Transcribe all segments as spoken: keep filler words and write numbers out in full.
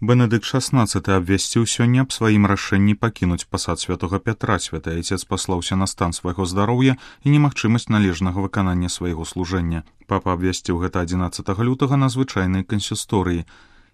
Бенедыкт шаснаццаты абвясціў сёння аб сваім рашэнні пакінуць пасад святога Пятра. Святы айцец паслаўся на стан свайго здароўя і немагчымасць належнага выканання свайго служэння. Папа абвясціў гэта адзінаццатага лютага на звычайнай кансісторыі.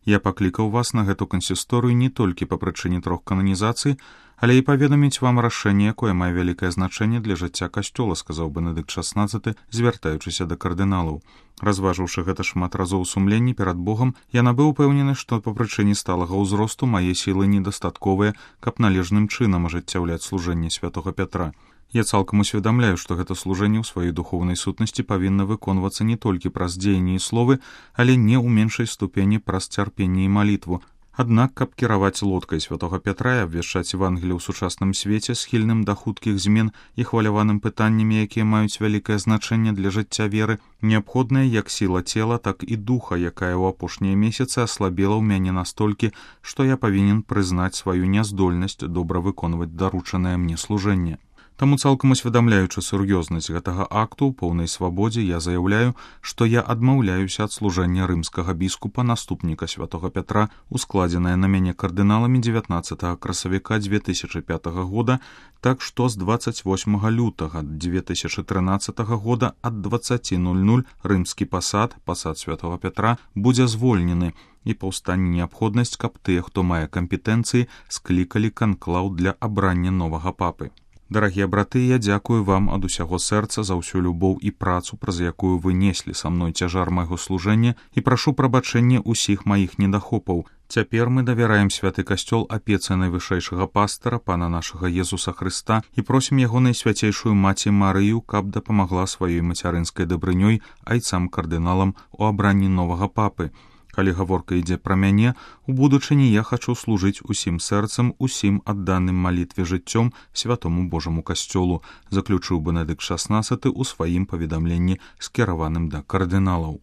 Я паклікаў вас на гэту кансісторыю не толькі па прычыне трох кананізацый, але і паведаміць вам рашэнне, якое мае вялікае значэнне для жыцця касцёла, сказаў Бенедыкт шаснаццаты, звяртаючыся да кардыналаў. Разважыўшы гэта шмат разоў у сумленні перад Богам, я набыў упэўнены, што па прычыне сталага ўзросту мае сілы недастатковыя, каб належным чынам ажыццяўляць служэнне святога Пятра. Я цалкам усведамляю, што гэта служэнне ў сваёй духоўнай сутнасці павінна выконвацца не толькі праз дзеянні і словы, але не ў меншай ступені праз цярпенне і малітву. Аднак, каб кіраваць лодкай святога Пятра і абвяшчаць Евангелие ў сучасным свеце, схільным да хуткіх змен і хваляваным пытаннямі, якія маюць вялікае значэнне для жыцця веры, неабходная як сіла цела, так і духа, якая ў апошнія месяцы аслабела ў мяне настолькі, што я павінен прызнаць сваю няздольнасць добра выконваць даручанае мне служэнне. Таму цалкам усведамляючы сур'ёзнасць гэтага акту ў поўнай свабодзе, я заяўляю, што я адмаўляюся ад служэння рымскага біскупа, наступніка святога Пятра, ускладзенае на мяне кардыналамі дзевятнаццатага красавіка дзве тысячы пятага года, так што з дваццаць восьмага лютага дзве тысячы трынаццатага года ад дваццаці нуль-нуль рымскі пасад, пасад святога Пятра, будзе звольнены, і паўстане неабходнасць, каб тыя, хто мае кампетэнцыі, склікалі канклаў для абрання новага папы. Дарагія браты, я дзякую вам ад усяго сэрца за ўсю любоў і працу, праз якую вы неслі са мной цяжар майго служэння, і прашу прабачэння ўсіх маіх недахопаў. Цяпер мы давяраем святы касцёл апецы найвышэйшага пастара, пана нашага Езуса Хрыста, і просім яго найсвяцейшую маці Марыю, каб дапамагла сваёй мацярынскай дабрынёй айцам-кардыналам у абранні новага папы. Калі гаворка ідзе пра мяне, у будучыні я хачу служыць усім сэрцам, усім адданым малітве жыццём святому Божаму касцёлу, заключыў Бенедыкт шаснаццаты ў сваім паведамленні, скіраваным да кардыналаў.